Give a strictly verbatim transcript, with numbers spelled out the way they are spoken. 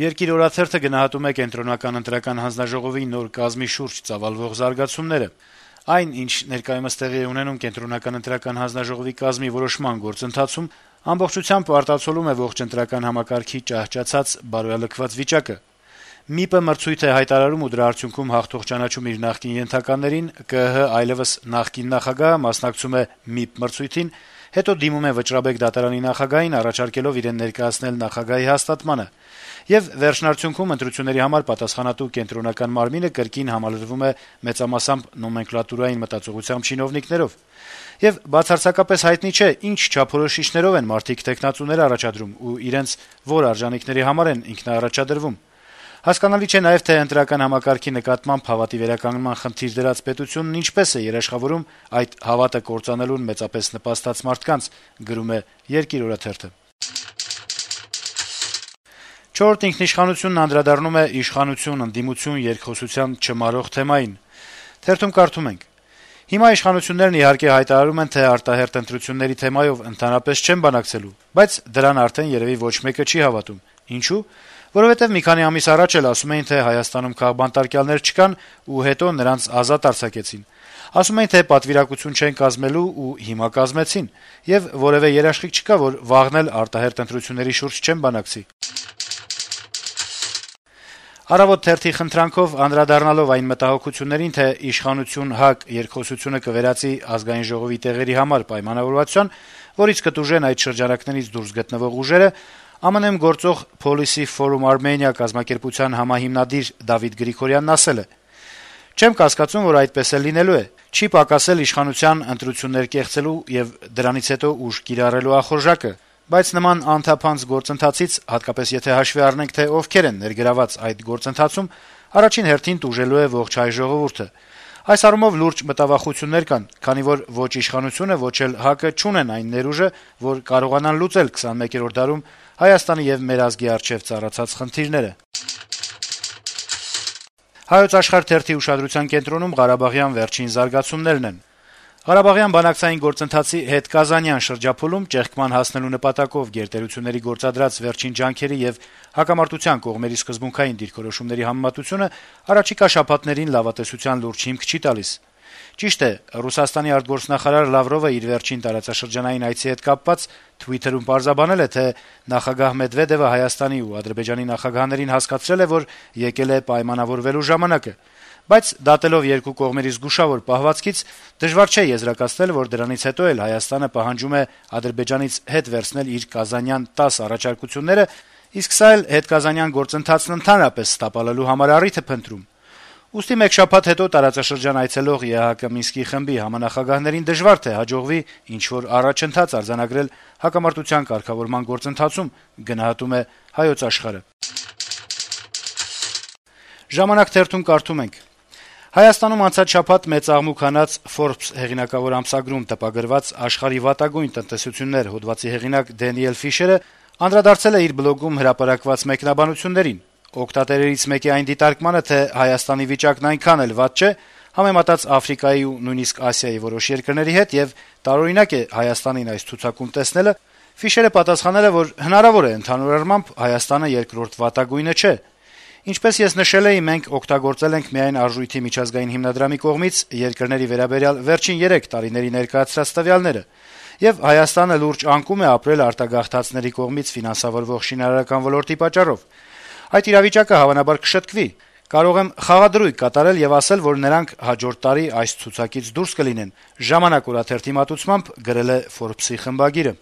Երկիր օրաթերթը գնահատում է կենտրոնական ընտրական հանձնաժողովի նոր կազմի շուրջ ծավալվող զարգացումները։ Այն, ինչ ներկայումս տեղի է ունենում կենտրոնական ընտրական հանձնաժողովի կազմի որոշման գործընթացում, ամբողջությամբ արտացոլում է ողջ ընտրական համակարգի ճահճացած բարոյալքված վիճակը։ ՄԻՊ-ը մրցույթ է հայտարարում ու դրա արդյունքում հաղթող ճանաչում իր նախկին ենթականերին, ԿԸՀ այլեւս նախկին նախագահը մասնակցում է ՄԻՊ մրցույթին, հետո դիմում է Վճռաբեկ դատարանի նախագահին, առաջարկելով իրեն ներկայացնել նախագահի հաստատմանը, եւ վերջնարդյունքում ընտրությունների համար պատասխանատու կենտրոնական մարմինը կրկին համալրվում է մեծամասամբ նոմենկլատուրային մտածողությամբ չինովնիկներով։ Եվ բացարձակապես հայտնի չէ, ինչ չափորոշիչներով են մարդիկ թեկնածուներ առաջադրում ու իրենց որ արժանինքների համար են ինքնաառաջադրվում։ Հասկանալի չէ նաեւ, թե ընտրական համակարգի նկատմամբ հավատի վերականգնման խնդիր դրած պետությունն ինչպես է երաշխավորում այդ հավատը կործանելուն մեծապես նպաստած մարդկանց, գրում է Երկիր օրաթերթը։ Չորրորդ ինքնիշխանությունն անդրադառնում է իշխանություն, ընդդիմություն երկխոսության չմարող թեմային։ Թերթում կարդում ենք. - Հիմա իշխանություններն իհարկե հայտարարում են, թե արտահերթ ընտրությունների թեմայով ընդհանրապես չեն բանակցելու, բայց դրան արդեն երեւի ոչ մեկը չի հավատում։ Ինչու՞։ Որովհետեւ մի քանի ամիս առաջ էլ ասում էին, թե Հայաստանում քաղբանտարկյալներ չկան ու հետո նրանց ազատ արձակեցին։ Ասում էին, թե պատվիրակություն չեն կազմելու ու հիմա կազմեցին, եւ որեւէ երաշխիք չկա, որ վաղն էլ արտահերթ ընտրությունների շուրջ չեն բանակցի։ Առավոտ թերթի խնդրանքով անդրադառնալով այն մտահոգություններին, թե իշխանություն-ՀԱԿ երկխոսությունը կվերածի ազգային ժողովի տեղերի համար պայմանավորվածության, որից կտուժեն այդ շրջանակներից դուրս գտնվող ուժերը, ԱՄՆ-ում գործող Policy Forum Armenia կազմակերպության համահիմնադիր Դավիթ Գրիգորյանն ասել է. - Չեմ կասկածում, որ այդպես էլ լինելու է։ Չի պակասել իշխանության ընտրություններ կեղծելու եւ դրանից հետո ուժ կիրառելու ախորժակը, բայց նման անթափանց գործընթացից, հատկապես եթե հաշվի առնենք, թե ովքեր են ներգրաված այդ գործընթացում, առաջին հերթին տուժելու է ողջ հայ ժողովուրդը։ Այս առումով լուրջ մտավախություններ կան, քանի որ ոչ իշխանությունը, ոչ էլ ՀԱԿ-ը չունեն այն ներուժը, որ կարողանան լուծել քսանմեկերորդ դարում Հայաստանի եւ մեր ազգի առջեւ ծառացած խնդիրները։ Հայոց Աշխարհ թերթի ուշադրության կենտրոնում Ղարաբաղյան վերջին զարգացումներն են։ Ղարաբաղյան բանակցային գործընթացի հետկազանյան շրջափուլում ճեղքման հասնելու նպատակով գերտերությունների գործադրած վերջին ջանքերի եւ հակամարտության կողմերի սկզբունքային դիրքորոշումների համեմատությունը առաջիկա շաբաթներին լավատեսության լուրջ հիմք չի տալիս։ Ճիշտ է, Ռուսաստանի արտգործնախարար Լավրովը իր վերջին տարածաշրջանային այցի հետ կապված Twitter-ում պարզաբանել է, թե նախագահ Մեդվեդևը Հայաստանի ու Ադրբեջանի նախագահներին հասկացրել է, որ եկել է պայմանավորվելու ժամանակը, բայց դատելով երկու կողմերի զգուշավոր պահվածքից դժվար չէ եզրակացնել, որ դրանից հետո էլ Հայաստանը պահանջում է Ադրբեջանից հետ վերցնել իր կազանյան տասը առաջարկությունները, իսկ սա էլ հետկազանյան գործընթացն ընդհանրապես տապալելու համար առիթ է փնտրում։ Ուստի մեկ շաբաթ հետո տարածաշրջան այցելող ԵԱՀԿ Մինսկի խմբի համանախագահներին դժվար թե հաջողվի ինչ-որ առաջընթաց արձանագրել հակամարտության կարգավորման գործընթացում, գնահատում է Հայոց Աշխարհը։ Ժամանակ թերթում կարդում ենք. - Հայաստանում անցած շաբաթ մեծ աղմուկ հանած Forbes հեղինակավոր ամսագրում տպագրված աշխարհի վատագույն տնտեսություններ հոդվածի հեղինակ Դենիել Ֆիշերը անդրադարձել է իր բլոգում հրապարակված մեկնաբանություններին։ Օգտատերերից մեկի այն դիտարկմանը, թե Հայաստանի վիճակն այնքան էլ վատ չէ, համեմատած Աֆրիկայի ու նույնիսկ Ասիայի որոշ երկրների հետ եւ տարօրինակ է Հայաստանին այս ցուցակում տեսնելը, Ֆիշերը պատասխանել է, որ հնարավոր է ընդհանուր առմամբ Հայաստանը երկրորդ վատագույնը չէ։ Ինչպես ես նշել էի, մենք օգտագործել ենք միայն արժույթի միջազգային հիմնադրամի կողմից երկրների վերաբերյալ վերջին երեք տարիների ներկայացրած տվյալները, եւ Հայաստանը լուրջ անկում է ապրել արտագաղթածների կողմից ֆինանսավորվող շինարարական ոլորտի պատճառով։ Այդ իրավիճակը հավանաբար կշտկվի։ Կարող եմ խաղադրույք կատարել եւ ասել, որ նրանք հաջորդ տարի այս ցուցակից դուրս կլինեն, ժամանակ օրաթերթի մատուցմամբ գրել է Forbes-ի խմբագիրը։